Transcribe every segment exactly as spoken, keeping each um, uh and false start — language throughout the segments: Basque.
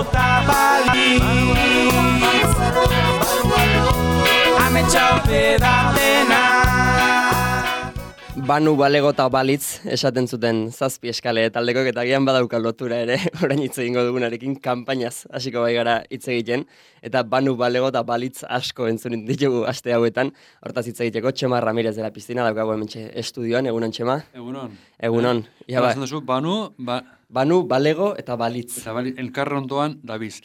eta balitz Ametsa ote da dena Banu balego eta balitz esaten zuten zazpi eskale taldekok eta gian badauka lotura ere orain hitz egingo dugunarekin kanpainaz hasiko bai gara hitz egiten eta banu balego eta balitz asko entzun ditugu aste hauetan hortaz hitz egiteko Txema Ramirez de la Piscina daukago hementxe estudioan egunon Txema Egunon Egunon ja ba duzu banu ba Banu balego eta balitz eta balitz elkarren ondoan dabiz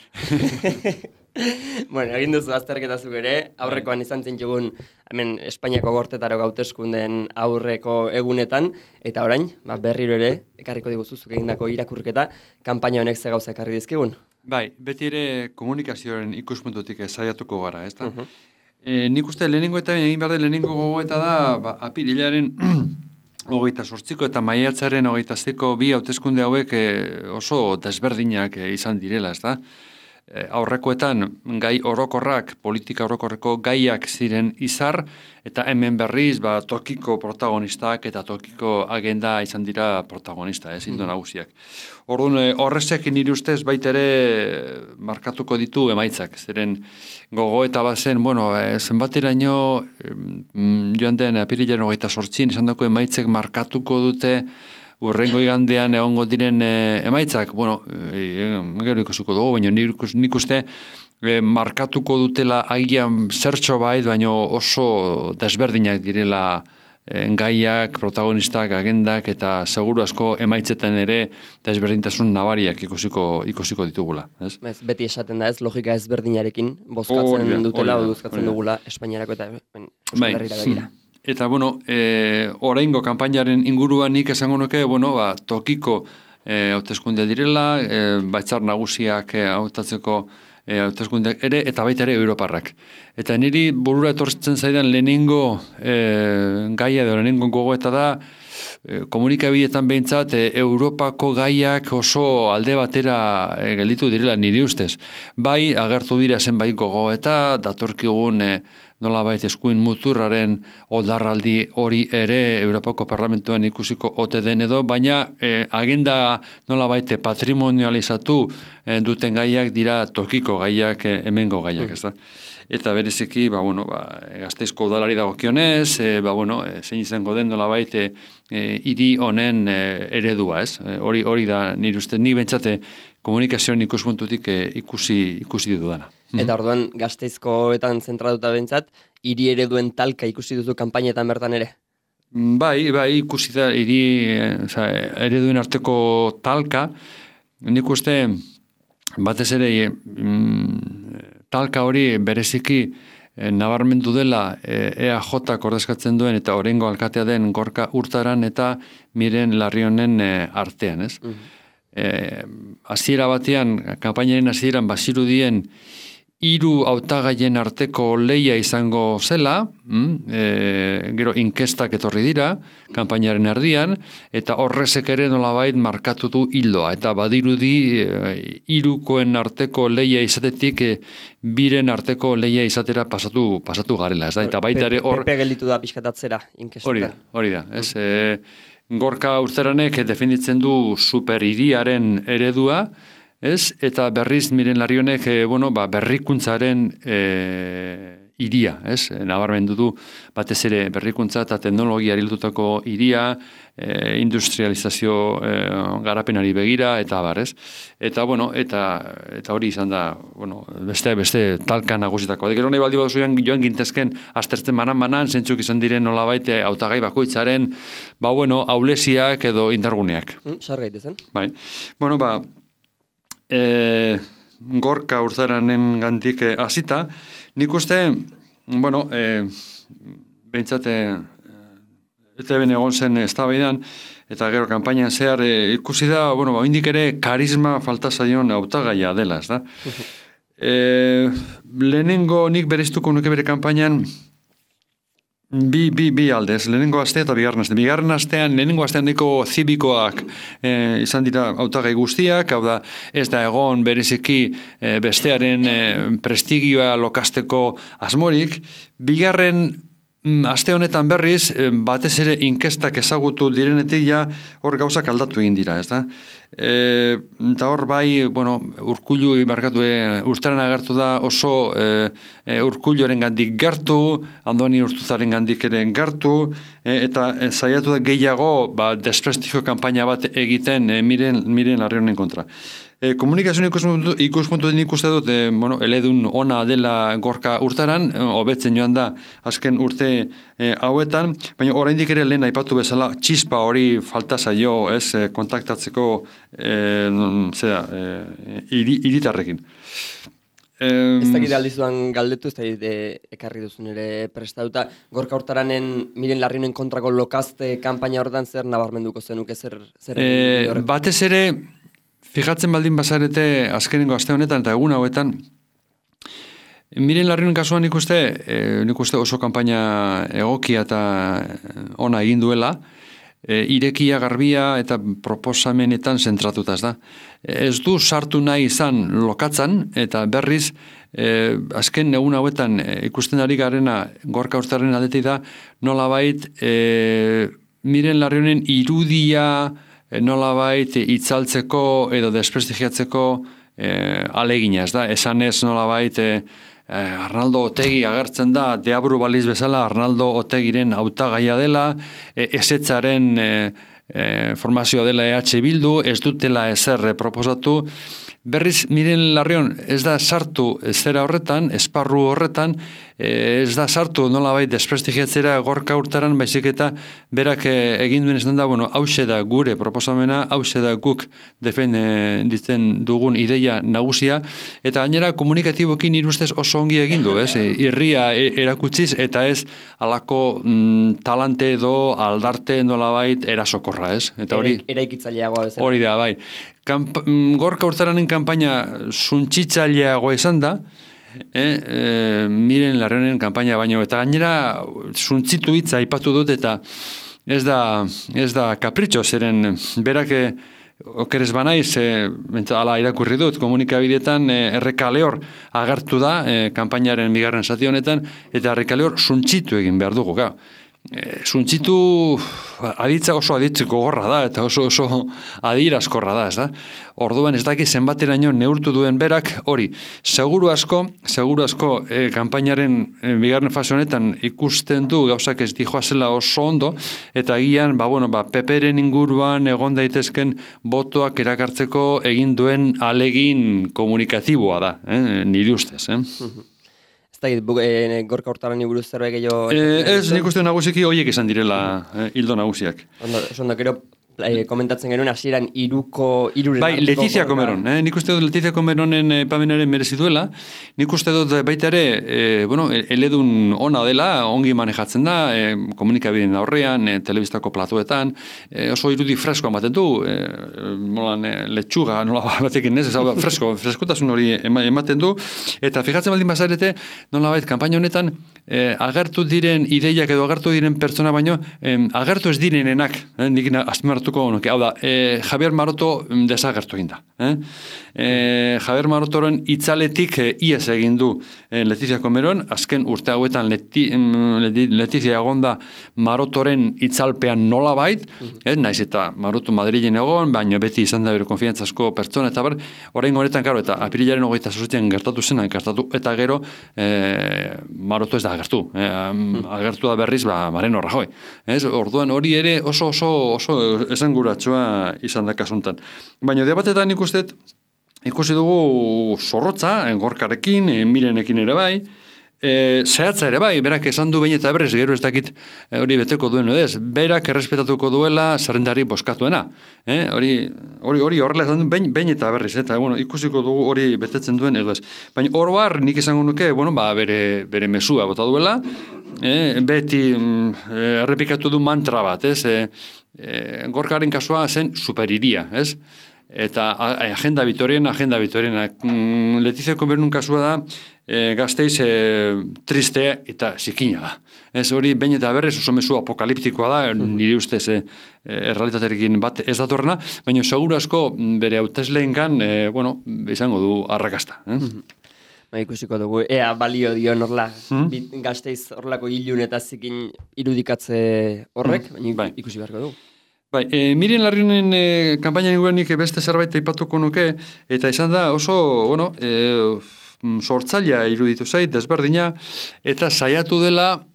Bueno, egin duzu azterketa zuk ere, aurrekoan izan zintxugun hemen Espainiako gortetaro gauteskunden aurreko egunetan, eta orain, ba, berriro ere, ekarriko diguzu zuk egindako irakurketa, kanpaina honek ze gauza ekarri dizkigun? Bai, beti ere komunikazioaren ikuspuntutik saiatuko gara, ezta? Uh -huh. e, nik uste lehenengo eta egin behar den lehenengo gogoeta da, ba, apirilaren hogeita sortziko eta maiatzaren hogeita ziko bi hauteskunde hauek e, oso desberdinak e, izan direla, ezta? Aurrekoetan gai orokorrak, politika orokorreko gaiak ziren izar, eta hemen berriz ba, tokiko protagonistak eta tokiko agenda izan dira protagonista, ez, indo nagusiak. Orduan, horrezek nire ustez baitere markatuko ditu emaitzak, zeren gogoeta bat zen, bueno, zenbateraino joan den apirilaren hogeita sortzin, izan dako emaitzek markatuko dute urrengo igandean egongo diren e, emaitzak, bueno, e, gero ikusiko dugu, baina nik uste e, markatuko dutela agian zertxo bait, baina oso desberdinak direla e, gaiak, protagonistak, agendak, eta seguru asko emaitzetan ere desberdintasun nabariak ikusiko, ikusiko ditugula. Ez? Ez, beti esaten da ez, logika ezberdinarekin bozkatzen oh, dutela, o duzkatzen dugula Espainiarako eta Euskal Herrira begira. Eta, bueno, e, oraingo kanpainaren inguruan nik esango nuke, bueno, ba, tokiko e, hauteskunde direla, e, batzar nagusiak hautatzeko e, hauteskundeak ere, eta baita ere Europarrak. Eta niri burura etortzen zaidan lehenengo e, gaia edo lehenengo gogoeta da, e, komunikabideetan behintzat, e, Europako gaiak oso alde batera e, gelditu direla niri ustez. Bai, agertu dira zenbait gogoeta, datorkigun e, nolabait eskuin muturraren oldarraldi hori ere Europako Parlamentuan ikusiko ote den edo, baina eh, agenda nolabait patrimonializatu eh, duten gaiak dira tokiko gaiak, eh, hemengo gaiak, ez da? Eta bereziki, ba, bueno, ba, Gasteizko udalari dagokionez, e, ba, bueno, e, zein izango den nolabait e, hiri honen e, eredua, ez? E, hori hori da nire uste, ni bentsate komunikazioan ikuspuntutik e, ikusi ikusi dudana. Eta orduan Gasteizkoetan zentratuta bentsat, hiri ereduen talka ikusi duzu kanpainetan bertan ere? Bai, bai, ikusi da hiri ereduen arteko talka, nik uste batez ere mm, talka hori bereziki e, nabarmendu dela e, EAJak ordezkatzen duen eta orengo alkatea den Gorka Urtaran eta Miren Larrionen e, artean, ez? Uh-huh. E, hasiera batean, kanpainaren hasieran bazirudien hiru hautagaien arteko leia izango zela, mm, e, gero inkestak etorri dira, kanpainaren erdian, eta horrezek ere nolabait markatu du hildoa, eta badirudi e, hirukoen arteko leia izatetik e, biren arteko leia izatera pasatu pasatu garela, ez da? Eta baita ere hor Pepe gelditu da pixkatatzera inkestak. Hori da, hori da, ez? E, Gorka Urteranek definitzen du superhiriaren eredua, ez? Eta berriz Miren Larrionek e, bueno, ba, berrikuntzaren e, iria, ez? Nabarmendu du batez ere berrikuntza eta teknologia lotutako iria, e, industrializazio e, garapenari begira eta bar, ez? Eta bueno, eta eta hori izan da, bueno, beste beste talka nagusitako. Gero nahi baldi baduzu joan gintezken aztertzen banan-banan zentzuk izan diren nolabait hautagai bakoitzaren, ba bueno, aulesiak edo indarguneak. Mm, sar gaitezen. Bai. Bueno, ba E, Gorka Urtaranen gandik hasita, nik uste, bueno, e, behintzate, eta ben egon zen eztabaidan, eta gero kanpainan zehar e, ikusi da, bueno, ba, indik ere karisma falta zaion hautagaia dela, ez da? E, lehenengo nik bereztuko nuke bere kanpainan, Bi, bi, bi aldez, lehenengo aste eta bigarren aste. Bigarren astean, lehenengo astean niko zibikoak e, izan dira hautagai guztiak, hau da, ez da egon bereziki e, bestearen e, prestigioa lokasteko asmorik. Bigarren aste honetan berriz, batez ere inkestak ezagutu direnetik ja hor gauzak aldatu egin dira, ez da? E, eta hor bai, bueno, Urkullu ibarkatu, e, urteran agertu da oso e, e, Urkulluaren gandik gertu, Andoni Urtuzaren gandik ere gertu, e, eta e, zaiatu da gehiago ba, desprestigio kanpaina bat egiten e, miren, miren Larrionen kontra. E, komunikazioen ikuspuntu, ikuspuntu den ikuste dut, e, bueno, eledun ona dela Gorka urtaran, hobetzen joan da azken urte e, hauetan, baina oraindik ere lehen aipatu bezala txispa hori falta zaio, ez, e, kontaktatzeko e, zera, e, iri, iritarrekin. E, ez dakit aldizuan galdetu, ez dakit e, ekarri duzun ere prestatuta, Gorka urtaranen Miren Larrionen kontrako lokazte kanpaina horretan zer nabarmenduko zenuke zer? zer e, batez ere, fijatzen baldin bazarete azkenengo aste honetan eta egun hauetan, Miren Larrionen kasuan nik uste, e, nik uste oso kanpaina egokia eta ona egin duela, e, irekia, garbia eta proposamenetan zentratuta, ez da. Ez du sartu nahi izan lokatzan eta berriz, e, azken egun hauetan e, ikusten ari garena Gorka urtaren aldetik da, nolabait e, Miren Larrionen irudia nolabait itzaltzeko edo desprestigiatzeko eh, alegina, ez da? Esan ez nolabait eh, Arnaldo Otegi agertzen da, deabru baliz bezala Arnaldo Otegiren hautagaia dela, eh, esetzaren eh, eh, formazioa dela E H Bildu, ez dutela ezer proposatu. Berriz, Miren Larrion, ez da sartu zera horretan, esparru horretan, ez da sartu nolabait desprestigiatzera Gorka urtaran, baizik eta berak egin duen esan da, bueno, hause da gure proposamena, hause da guk defenditzen dugun ideia nagusia, eta gainera komunikatibokin irustez oso ongi egin du, ez? Irria erakutsiz, eta ez alako mm, talante edo aldarte nolabait erasokorra, ez? Eta hori eraikitzaileagoa bezala. Hori da, bai. Kamp Gorka urtaranen kanpaina suntzitzaileagoa izan da, e, e, Miren Larrionen kanpaina baino, eta gainera suntzitu hitza aipatu dut, eta ez da, ez da kapritxo, zeren berak okeres banaiz, e, ala irakurri dut, komunikabideetan e, errekaleor agertu da e, kanpainaren bigarren zati honetan, eta errekaleor suntzitu egin behar dugu, gau. E, suntzitu aditza oso aditzeko gorra da, eta oso oso adirazkorra da, ez da? Orduan ez daki zenbateraino neurtu duen berak, hori, seguru asko, seguru asko e, kanpainaren e, bigarren fase honetan ikusten du gauzak ez dijoa zela oso ondo, eta agian, ba, bueno, ba, Peperen inguruan egon daitezken botoak erakartzeko egin duen alegin komunikatiboa da, eh? Nire ustez, eh? E, Gorka urtaran buruz zerbait gehiago... E, ez, nik uste nagusiki horiek izan direla eh, hildo nagusiak. Ondo, ondo, gero eh, komentatzen genuen hasieran iruko... Iruren bai, Letizia Comeron. Eh? Nik uste dut Letizia Comeronen eh, pamenaren merezi duela. Nik uste dut baita ere, eh, bueno, eledun ona dela, ongi manejatzen da, eh, komunikabideen aurrean, eh, telebistako platuetan, eh, oso irudi fresko ematen du, eh, molan eh, letxuga, nola batekin ez, ez fresko, freskotasun hori ematen du, eta fijatzen baldin bazarete, nolabait, kanpaina honetan, eh, agertu diren ideiak edo agertu diren pertsona baino, eh, agertu ez direnenak, eh, nik azpimarratuko nuke, hau da, eh, Javier Maroto desagertu egin da. Eh? Eh, Javier Marotoren itzaletik eh, ies egin du eh, Letizia Comeron, azken urte hauetan Leti, Letizia egonda Marotoren itzalpean nolabait, eh, naiz eta Maroto Madrilen egon, baina beti izan da bere konfiantzazko pertsona, eta bar, orain honetan, karo, eta apirilaren hogeita zortzian gertatu zena, gertatu, eta gero eh, Maroto ez da agertu, eh, agertu da berriz, ba, Mariano Rajoy. Ez, orduan hori ere oso oso oso esanguratsua izan da kasuntan. Baina debatetan ikustet, ikusi dugu zorrotza, Gorkarekin, Mirenekin ere bai, e, zehatza ere bai, berak esan du behin eta berrez, gero ez dakit hori beteko duen edez, berak errespetatuko duela zerrendari boskatuena. Eh? Hori hori hori horrela esan du behin, behin eta berriz, eta bueno, ikusiko dugu hori betetzen duen edo ez. Baina oroar nik esango nuke, bueno, ba, bere, bere mesua bota duela, eh? Beti mm, errepikatu du mantra bat, ez? E, e, Gorkaren kasua zen superiria, ez? Eta agenda bitorien, agenda bitorien. Mm, Letizia Comeron kasua da, e, Gasteiz e, triste eta zikina da. Ez hori, behin eta berrez oso mezu apokaliptikoa da, nire ustez e, errealitaterekin bat ez datorrena, baina seguru asko bere hautesleen gan, e, bueno, izango du arrakasta. Eh? Ba, ikusiko dugu, ea balio dion horla, Hmm? Gasteiz horlako ilun eta zikin irudikatze horrek, Hmm, baina bai. ikusi beharko dugu. Bai, e, Miren Larrionen e, kanpaina inguruan nik beste zerbait aipatuko nuke, eta izan da oso, bueno, e, sortzailea iruditu zait, desberdina, eta saiatu dela,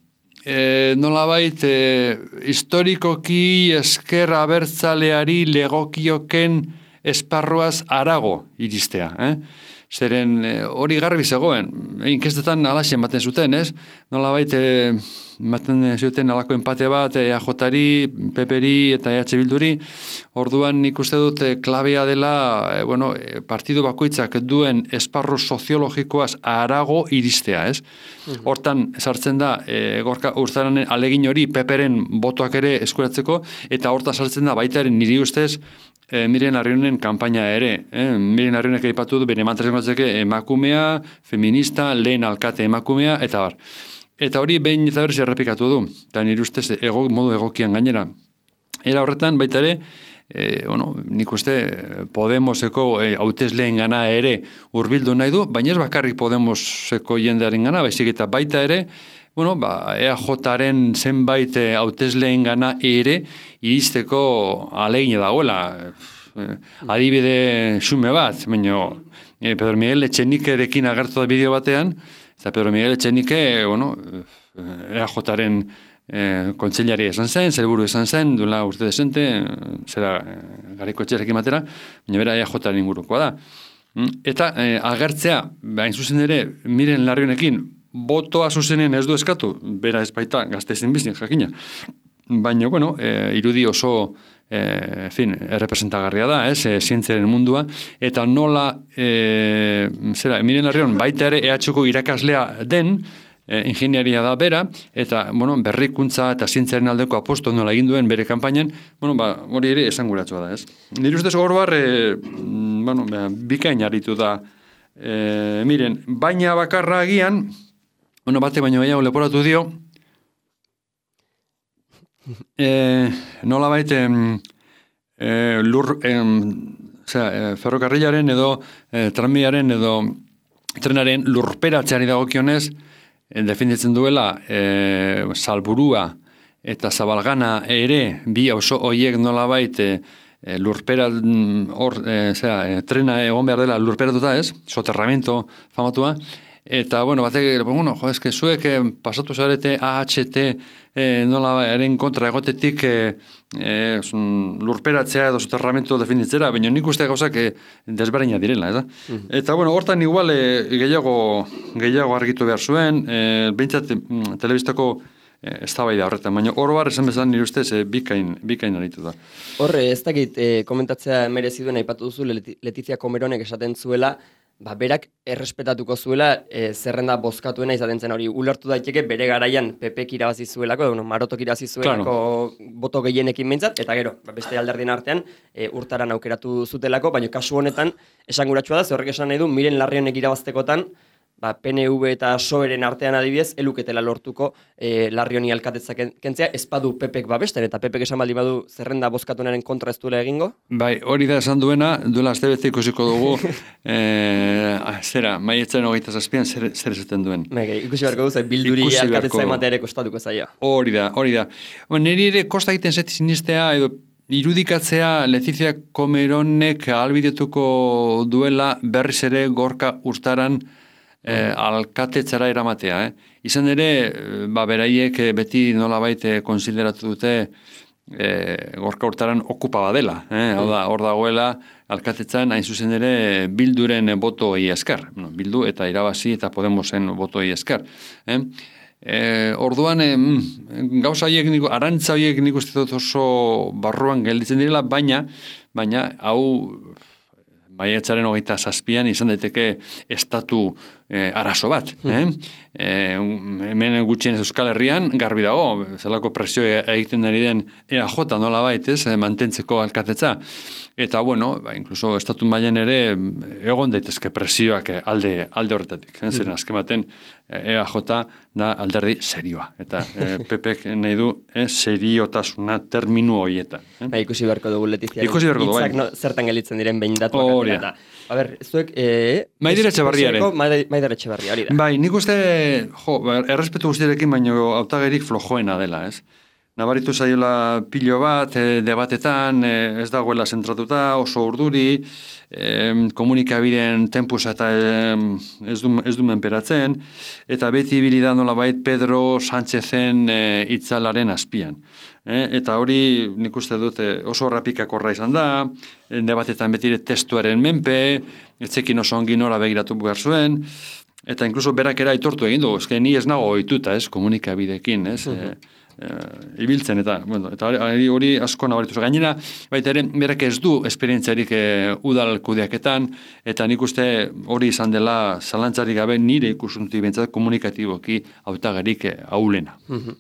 e, nolabait, e, historikoki esker abertzaleari legokioken esparruaz arago iristea, eh? Zeren e, hori garbi zegoen, inkestetan alaxen baten zuten, ez? Nolabait, e, baten zuten alako empate bat E A Jari, P Peri eta E H Bilduri, orduan nik uste dut e, klabea dela, e, bueno, e, partidu bakoitzak duen esparru soziologikoaz arago iristea, ez? Mm-hmm. Hortan sartzen da, e, gorka urtaranen alegin hori P Peren botoak ere eskuratzeko, eta hortan sartzen da baitaren niri ustez, E, Miren Larrionen kanpaina ere. Eh? Miren Larrionek aipatu du bere mantrazengotzeke emakumea, feminista, lehen alkate emakumea, eta bar. Eta hori behin eta berriz errepikatu du, eta nire ustez ego, modu egokian gainera. Era horretan baita ere, e, bueno, nik uste Podemoseko e, hautesleen gana ere hurbildu nahi du, baina ez bakarrik Podemoseko jendearen gana, baizik eta baita ere, bueno, ba, E A Jaren zenbait hautesleen gana ere iristeko alegin dagoela. Eh, adibide xume bat, baina eh, Pedro Miguel Etxenikerekin agertu da bideo batean, eta Pedro Miguel Etxenike, bueno, E A Jaren eh, kontseilari esan zen, zelburu esan zen, duela urte desente, zera eh, Garaiko Etxerekin batera, baina bera E A Jaren ingurukoa da. Eta eh, agertzea, hain zuzen ere, Miren Larrionekin, botoa zuzenen ez du eskatu, bera ez baita Gasteizen bizin jakina. Baina, bueno, e, irudi oso, e, fin, errepresentagarria da, ez, e, zientziaren mundua, eta nola, e, zera, Miren Larrion baita ere E H ko irakaslea den, e, ingenieria da bera, eta, bueno, berrikuntza eta zientziaren aldeko aposto nola egin duen bere kanpainan, bueno, ba, hori ere esanguratsua da, ez. Nire ustez hor bar, e, bueno, bikain aritu da, e, Miren, baina bakarra agian, bueno, bate baino gehiago leporatu dio, e, nola baita e, lur, e, zera, e, ferrokarrilaren edo e, tranbiaren edo trenaren lurperatzeari dagokionez, e, definitzen duela e, Salburua eta Zabalgana ere, bi oso hoiek nola baita e, lurpera, hor, e, zera, e, trena egon behar dela lurperatuta ez, soterramento famatua, eta, bueno, batek, bueno, jo, eske zuek eh, pasatu zarete A H T eh, nola eren kontra egotetik eh, eh, lurperatzea edo soterramento definitzera, baina nik uste gauzak eh, desberdina direla, ez da? Mm-hmm. Eta, bueno, hortan igual eh, gehiago, gehiago argitu behar zuen, eh, behintzat mm, telebistako eh, eztabaida horretan, baina oroar esan bezala nire ustez eh, bikain, bikain aritu da. Horre, ez dakit eh, komentatzea merezi duen aipatu duzu Letizia Comeronek esaten zuela, ba, berak errespetatuko zuela e, zerrenda bozkatuena izaten zen hori. Ulertu daiteke bere garaian P Pek irabazi zuelako, bueno, Marotok irabazi zuelako claro. Boto gehienekin behintzat, eta gero, ba, beste alderdien artean e, urtaran aukeratu zutelako, baina kasu honetan esanguratsua da, ze horrek esan nahi du, Miren Larrionek irabaztekotan, ba, P N V eta P S O E-ren artean adibidez, eluketela lortuko e, Larrioni alkatetzak kentzea, ez badu P Pek babesten, eta P Pek esan baldi badu zerrenda bozkatunaren kontra ez duela egingo? Bai, hori da esan duena, duela astebete ikusiko dugu, e, zera, maietzen hogeita zazpian zer, zer esaten duen. Bai, ikusi beharko du, bilduri alkatetza ematea ere kostatuko zaio. Hori da, hori da. Niri ere kosta egiten zeti sinistea, edo irudikatzea Letizia Comeronek ahalbidetuko duela berriz ere Gorka Urtaran Eh, alkatetzara eramatea, eh? Izan ere, ba, beraiek beti nolabait konsideratu dute eh, Gorka Urtaran okupa badela, eh? Hau da, hor dagoela alkatetzan hain zuzen ere Bilduren botoei esker, bueno, Bildu eta irabazi eta Podemosen botoei esker, eh? Eh, orduan, eh, gauza horiek, arantza horiek nik uste dut oso barruan gelditzen direla, baina, baina, hau maiatzaren hogeita zazpian izan daiteke estatu eh, arazo bat. Eh? Eh, hemen gutxien Euskal Herrian garbi dago, zelako presio egiten ari den E A J nola bait, ez, mantentzeko alkatetza. Eta, bueno, ba, inkluso estatu mailan ere egon daitezke presioak alde, alde horretatik. Eh? Zeren azken baten E A J da alderdi serioa. Eta eh, P Pek nahi du eh, seriotasuna terminu horietan. Eh? Ba, ikusi beharko dugu Letiziaren ikusi beharko dugu, hitzak no, zertan gelitzen diren behin datuak. Hori da. A ber, zuek... Eh, Maidira Etxebarriaren. Maider Etxeberria, hori da. Bai, nik uste, jo, errespetu guztiarekin, baino hautagerik flojoena dela, ez? Nabaritu zaiola pilo bat, e, debatetan, e, ez dagoela zentratuta, oso urduri, e, komunikabideen tempusa eta e, ez, du, ez du menperatzen, eta beti bilida nolabait Pedro Sánchezen e, itzalaren azpian. E, eta hori nik uste dut oso rapikakorra izan da, e, debatetan betire testuaren menpe, etzekin oso ongi nora begiratu behar zuen, eta inkluso berak era aitortu egin du, ezke ni ez nago ohituta, ez, komunikabidekin, ez, uh-huh. e, e, ibiltzen, eta, bueno, eta hori, hori asko nabaritu. Gainera, baita ere, berak ez du esperientziarik e, udal kudeaketan, eta nik uste hori izan dela zalantzarik gabe nire ikusuntik bentsat komunikatiboki hautagarik e, aulena. Uh-huh.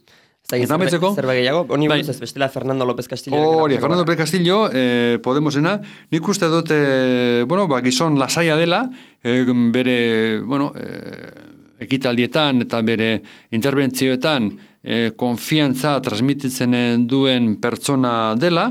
Eta metzeko? Zerbait gehiago, honi buruz ez bestela Fernando López Castillo. Hori, Fernando López Castillo, eh, Podemosena, nik uste dut, eh, bueno, ba, gizon lasaia dela, eh, bere, bueno, eh, ekitaldietan eta bere interbentzioetan eh, konfiantza transmititzen duen pertsona dela,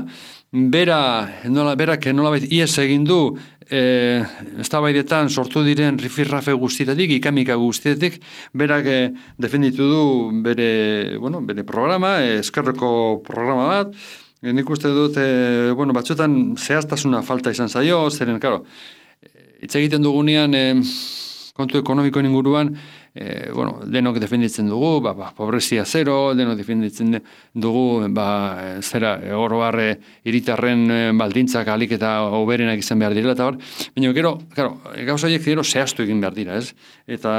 bera, nola, berak nolabait ies egin du, E, eztabaidetan sortu diren rifirrafe guztietatik, ikamika guztietatik, berak e, defenditu du bere, bueno, bere programa, e, eskerreko programa bat, e, nik uste dut, e, bueno, batzuetan zehaztasuna falta izan zaio, zeren, karo, hitz egiten dugunean, e, kontu ekonomikoen inguruan, e, bueno, denok defenditzen dugu, ba, ba, pobrezia zero, denok defenditzen dugu, ba, zera, oro barre hiritarren baldintzak alik eta oberenak izan behar direla, eta bar, baina, gero, claro, gauza horiek gero zehaztu egin behar dira, ez? Eta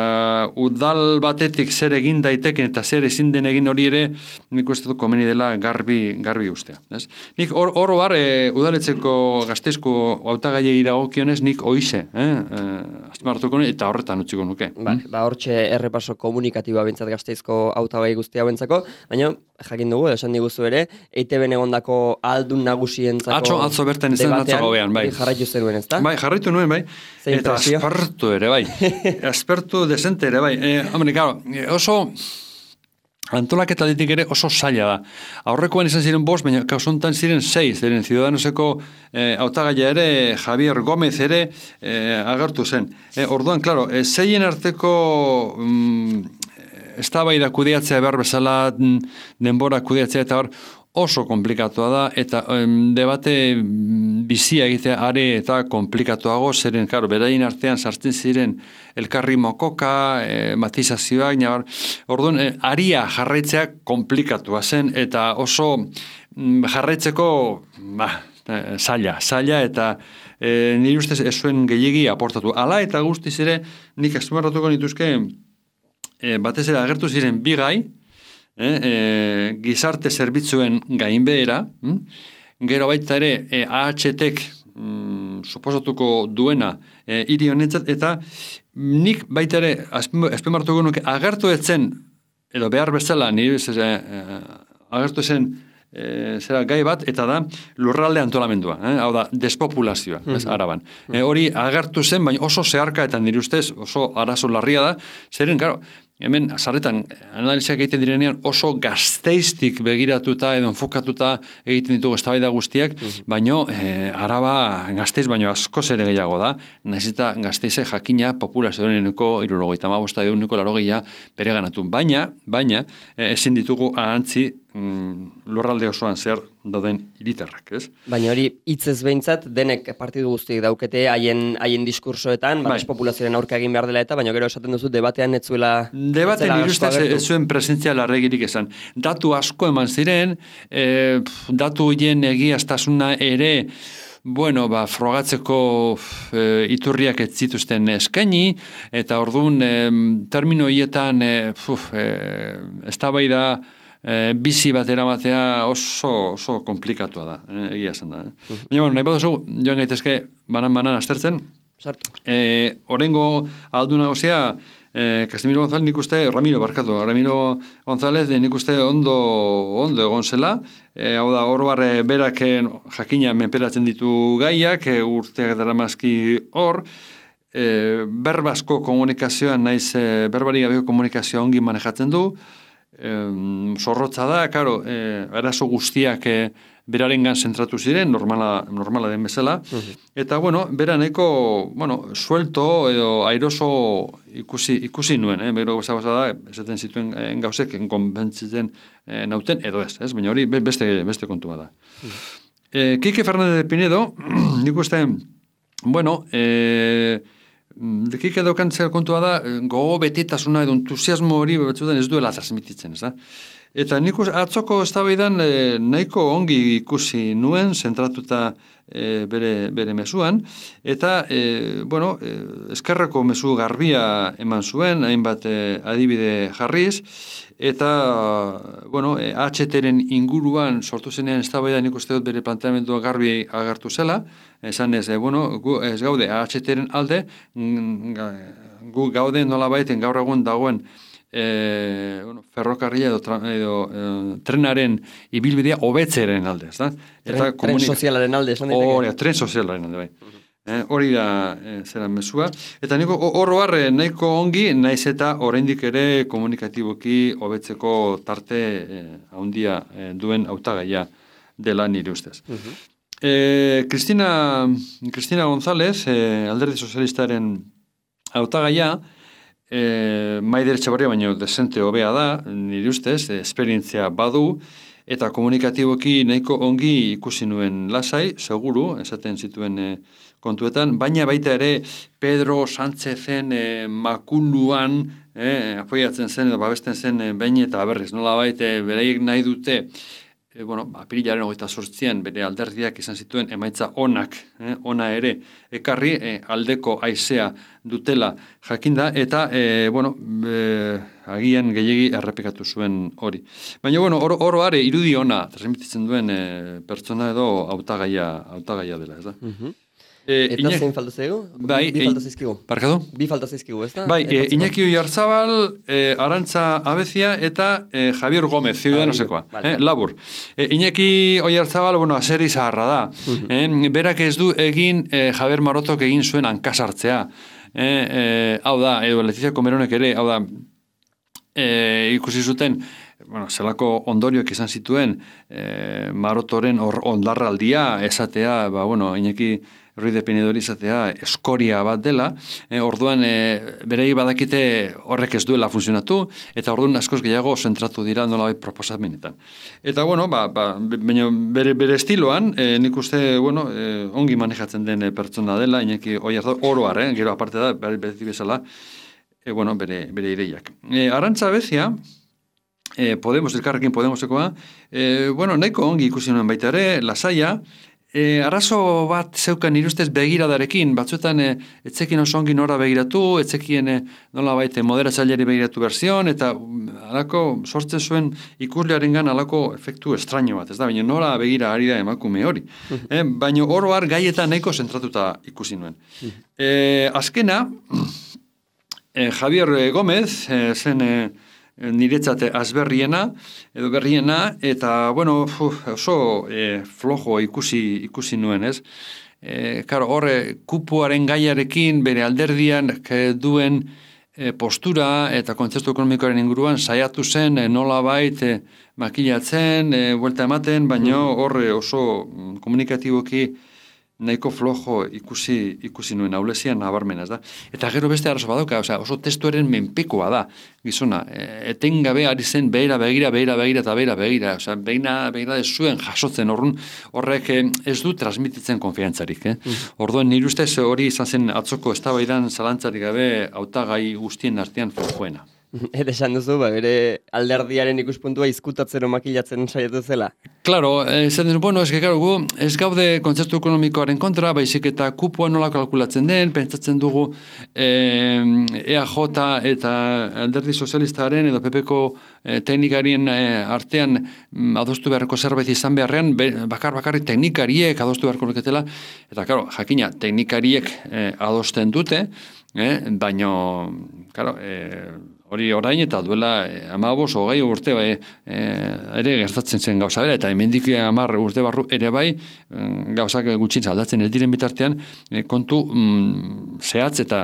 udal batetik zer egin daiteken eta zer ezin den egin hori ere, nik uste dut komeni dela garbi, garbi ustea, ez? Nik or, oro bar, e, udaletzeko Gasteizko hautagaiei dagokionez, nik oize, eh? E, azpimarratuko eta horretan utziko nuke. Ba, ba hortxe errepaso komunikatiboa bintzat Gasteizko hautagai guztia bentzako, baina jakin dugu, esan diguzu ere, E I Te Be egondako aldun nagusientzako atzo, atzo bertan izan atzo gauean, bai. Jarraitu zenuen, ez da? Bai, jarraitu nuen, bai. Zein eta presio? aspertu ere, bai. Aspertu desente ere, bai. E, hombre, claro, oso antolaketa ditik ere oso zaila da. Aurrekoan izan ziren bost, baina kausuntan ziren sei, ziren Ciudadanoseko eh, hautagaia ere, Javier Gómez ere eh, agertu zen. E, orduan, claro, e, zeien arteko mm, eztabaida kudeatzea behar bezala, denbora kudeatzea eta hor oso komplikatua da, eta em, debate bizia egitea are eta komplikatuago, zeren, karo, beraien artean sartzen ziren elkarri mokoka, e, matizazioak, nabar, orduan, e, aria jarraitzea komplikatua zen, eta oso m, jarraitzeko, ba, zaila, zaila, eta e, nire ustez ez zuen gehiegi aportatu. Hala eta guztiz ere, nik azpimarratuko nituzke, e, batez ere agertu ziren bi gai, E, e, gizarte zerbitzuen gainbehera, hm? Gero baita ere e, A H T-ek mm, suposatuko duena e, hiri honetzat, eta nik baita ere azpimarratuko nuke agertu etzen, edo behar bezala, nire e, e, agertu zen e, zera gai bat, eta da lurralde antolamendua, eh? Hau da, despopulazioa, mm-hmm. ez, Araban. E, hori agertu zen, baina oso zeharka eta nire ustez oso arazo larria da, zeren, karo, hemen, azarretan, analiziak egiten direnean oso Gasteiztik begiratuta edo enfokatuta egiten ditugu eztabaida guztiak, mm-hmm. baino e, Araba Gasteiz baino askoz ere gehiago da, nahiz eta Gasteize jakina populazioeneko hirurogeita hamabost ehuneko laurogeia bereganatu. Baina, baina, e, ezin ditugu ahantzi mm, lurralde osoan zer dauden hiritarrak, ez? Baina hori hitzez behintzat denek partidu guztiek daukete haien haien diskursoetan, ba, populazioaren aurka egin behar dela eta, baina gero esaten duzu debatean ez zuela debatean nire ustez ez zuen presentzia larregirik esan. Datu asko eman ziren, e, datu hien egiaztasuna ere, bueno, ba, frogatzeko e, iturriak ez zituzten eskaini, eta orduan e, termino hietan e, e, eztabaida e, bizi bat eramatea oso, oso komplikatua da, e, egia esan da. Eh? Uh-huh. Baina, bueno, nahi baduzu, joan gaitezke banan-banan aztertzen, e, orengo aldu nagosia, Eh, Casimiro González nik uste, Ramiro barkatu, Ramiro González nik uste ondo, ondo egon zela, eh, hau da, hor barre berak jakina menperatzen ditu gaiak, eh, urteak daramazki hor, eh, berbasko komunikazioan naiz, eh, berbari gabeko komunikazioa ongi manejatzen du, eh, zorrotza da, karo, eh, eraso guztiak eh, berarengan zentratu ziren, normala, normala den bezala, uh-huh. Eta, bueno, beraneko, bueno, suelto edo airoso ikusi, ikusi nuen, eh? Bero gauza da, esaten zituen eh, gauzek konbentzitzen eh, nauten edo ez, ez? Baina hori beste, beste kontua da. Mm. Eh, Kike Fernández de Pinedo, nik uste, bueno, eh, Kike daukan zer kontua da, gogo betetasuna edo entusiasmo hori batzutan ez duela transmititzen, ez da? Eta nik atzoko eztabaidan e, nahiko ongi ikusi nuen, zentratuta e, bere, bere mezuan, eta, e, bueno, e, eskerreko mezu garbia eman zuen, hainbat e, adibide jarriz, eta, bueno, e, H T-ren inguruan sortu zenean eztabaida nik uste dut bere planteamendua garbi agertu zela, esan ez, e, bueno, gu ez gaude H T-ren alde, gu gaude nola baiten gaur egun dagoen E, bueno, ferrokarria edo, tra, edo e, trenaren ibilbidea hobetzeren alde, ez da? Eta tren, tren sozialaren alde, esan diteke? Hori, tren sozialaren alde, bai. Uh-huh. eh, hori da e, zeran mezua. Eta niko horro harre nahiko ongi, naiz eta oraindik ere komunikatiboki hobetzeko tarte e, handia e, duen hautagaia dela nire ustez. Uh-huh. e, Cristina, Cristina González, e, Alderdi Sozialistaren hautagaia, E, Maider Etxebarria baino desente hobea da, nire ustez, esperientzia badu, eta komunikatiboki nahiko ongi ikusi nuen lasai, seguru, esaten zituen e, kontuetan, baina baita ere Pedro Sánchezen e, makuluan e, apoiatzen zen, edo babesten zen e, behin eta berriz, nola baita bereiek nahi dute, E, bueno, apirilaren hogeita zortzian bere alderdiak izan zituen emaitza onak, eh, ona ere ekarri eh, aldeko haizea dutela jakinda, eta, eh, bueno, eh, agian gehiegi errepikatu zuen hori. Baina, bueno, oro, oro are irudi ona transmititzen duen eh, pertsona edo hautagaia hautagaia dela, ez da? Uh-huh. E, eta Iñaki, zein falta zaigu? Bai, bi falta zaizkigu. Barkatu? Bi falta zaizkigu, ez da? Bai, e, Iñaki Oyarzabal, e, Arantza Abezia eta e, Javier Gómez, ciudadanosekoa, vale, eh, labur. E, Iñaki Oyarzabal, bueno, aseri zaharra da. Uh-huh. eh, berak ez du egin e, Javier Marotok egin zuen hankasartzea. Eh, e, hau da, edo Letizia Comeronek ere, hau da, e, ikusi zuten, bueno, zelako ondorioak izan zituen e, Marotoren or, ondarraldia esatea, ba, bueno, Iñaki Ruiz de Pinedori izatea eskoria bat dela, e, orduan e, berei badakite horrek ez duela funtzionatu, eta orduan askoz gehiago zentratu dira nolabait proposamenetan. Eta, bueno, ba, ba, bere, bere estiloan, e, nik uste, bueno, e, ongi manejatzen den pertsona dela, Iñaki Oyarzabal, oroar, eh, gero aparte da, bere bezala, e, bueno, bere, bere ideiak. E, Arantza Abezia, e, Podemos, elkarrekin Podemosekoa, e, bueno, nahiko ongi ikusi nuen baita ere, lasaia, E, arazo bat zeukan irustez begiradarekin, batzuetan e, etzekin oso ongi nora begiratu, etzekien e, nola baite moderatzaileari begiratu berzion, eta alako sortzen zuen ikuslearengan alako efektu estraño bat, ez da, baina nora begira ari da emakume hori. e, baina oro har gaietan nahiko zentratuta ikusi nuen. E, azkena, e, Javier Gómez, e, zen... E, niretzate azberriena, edo berriena, eta, bueno, uf, oso e, flojo ikusi, ikusi nuen, ez? E, karo, horre, kupoaren gaiarekin, bere alderdian duen e, postura eta kontzertu ekonomikoaren inguruan saiatu zen, e, nola bait, e, makilatzen, e, buelta ematen, baina horre oso komunikatiboki nahiko flojo ikusi ikusi nuen aulezian nabarmena, ez da. Eta gero beste arazo badauka, osea, oso testuaren menpekoa da, gizona. E, etengabe ari zen behira begira, behira begira eta behira begira, osea, beina begira ez zuen jasotzen, orrun horrek ez du transmititzen konfiantzarik, eh? Mm. Orduan nire ustez hori izan zen atzoko eztabaidan zalantzarik gabe hautagai guztien artean flojoena. Eta esan duzu, ba, bere alderdiaren ikuspuntua izkutatzero makilatzen saiatu zela. Claro, esan duzu, bueno, eske, claro, gu ez gaude kontzertu ekonomikoaren kontra, baizik eta kupoa nola kalkulatzen den, pentsatzen dugu eh, E A J eta alderdi sozialistaren edo P P-ko eh, teknikarien eh, artean mm, adostu beharko zerbait izan beharrean, be, bakar bakarrik teknikariek adostu beharko luketela, eta, claro, jakina, teknikariek eh, adosten dute, eh, baino, claro, eh, hori orain eta duela eh, amabos hogei urte bai, eh, ere gertatzen zen gauza bera, eta hemendik hamar urte barru ere bai gauzak gutxin aldatzen ez diren bitartean eh, kontu mm, zehatz eta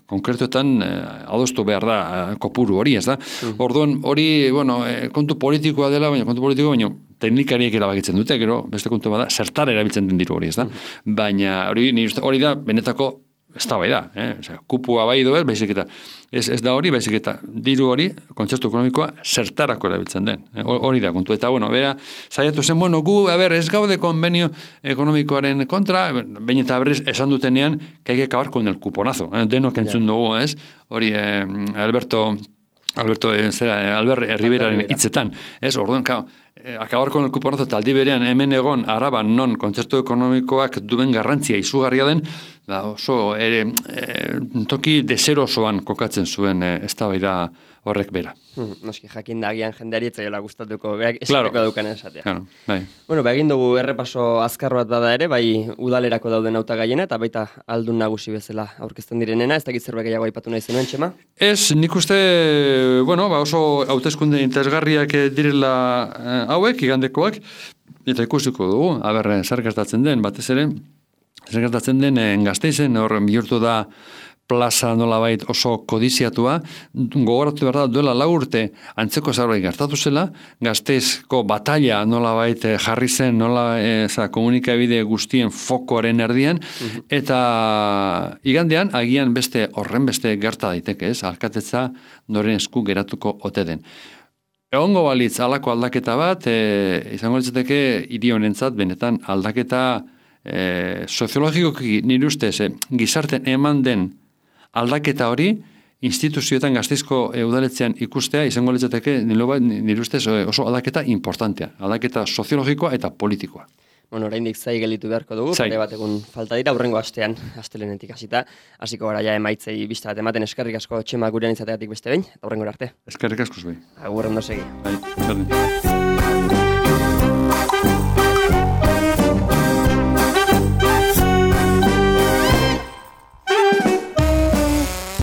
konkretuetan eh, adostu behar da eh, kopuru hori, ez da? Mm. Orduan hori, bueno, eh, kontu politikoa dela, baina kontu politikoa, baina teknikariek erabakitzen dute, gero beste kontu bada, zertar erabiltzen den diru hori, ez da? Mm. Baina hori, hori da benetako ez da bai da, eh? Osea, kupua bai doez, baizik eta, ez, ez da hori, baizik eta diru hori, kontzertu ekonomikoa, zertarako erabiltzen den. Eh? Hori da kontu. Eta, bueno, bera, zaiatu zen, bueno, gu, a ber, ez gaude konbenio ekonomikoaren kontra, baina eta berriz esan dutenean, que hay que acabar con el cuponazo. Eh? Denok entzun dugu, ez? Hori, eh, Alberto... Alberto, eh, zera, Albert Riberaren hitzetan, ez, orduan, kao, eh, acabar con el cuponazo taldi berean hemen egon araban non kontzertu ekonomikoak duen garrantzia izugarria den, da oso, ere, eh, toki deserosoan kokatzen zuen eh, eztabaida horrek bera. Hmm, noski, jakin da agian jendeari etzaiola gustatuko, berak esateko claro. Daukan esatea. Claro, bai. Bueno, ba, egin dugu errepaso azkar bat bada ere, bai udalerako dauden hautagaiena eta baita aldun nagusi bezala aurkezten direnena, ez dakit zerbait gehiago aipatu nahi zenuen, Txema? Ez, nik uste, bueno, ba, oso hauteskunde interesgarriak direla eh, hauek, igandekoak, eta ikusiko dugu, aber, zer gertatzen den, batez ere, zer gertatzen den eh, Gasteizen, hor bihurtu da plaza nolabait oso kodiziatua, gogoratu behar da duela lau urte antzeko zerbait gertatu zela, Gasteizko batalla nolabait jarri zen, nola eza, komunikabide guztien fokoaren erdian, mm-hmm. eta igandean agian beste horren beste gerta daiteke, ez, alkatetza noren esku geratuko ote den. Egongo balitz alako aldaketa bat, e, izango litzateke hiri honentzat benetan aldaketa e, soziologikoki nire ustez, e, gizarten eman den aldaketa hori, instituzioetan Gasteizko udaletzean ikustea, izango litzateke nire ustez oso aldaketa importantea, aldaketa soziologikoa eta politikoa. Bueno, oraindik zai gelitu beharko dugu, pare bat egun falta dira, hurrengo astean, astelenetik hasita, hasiko gara ja emaitzei bista bat ematen, eskerrik asko Txema gurean izateagatik beste behin, eta hurrengo arte. Eskerrik asko zuei. Agur ondo segi. Bai, berdin.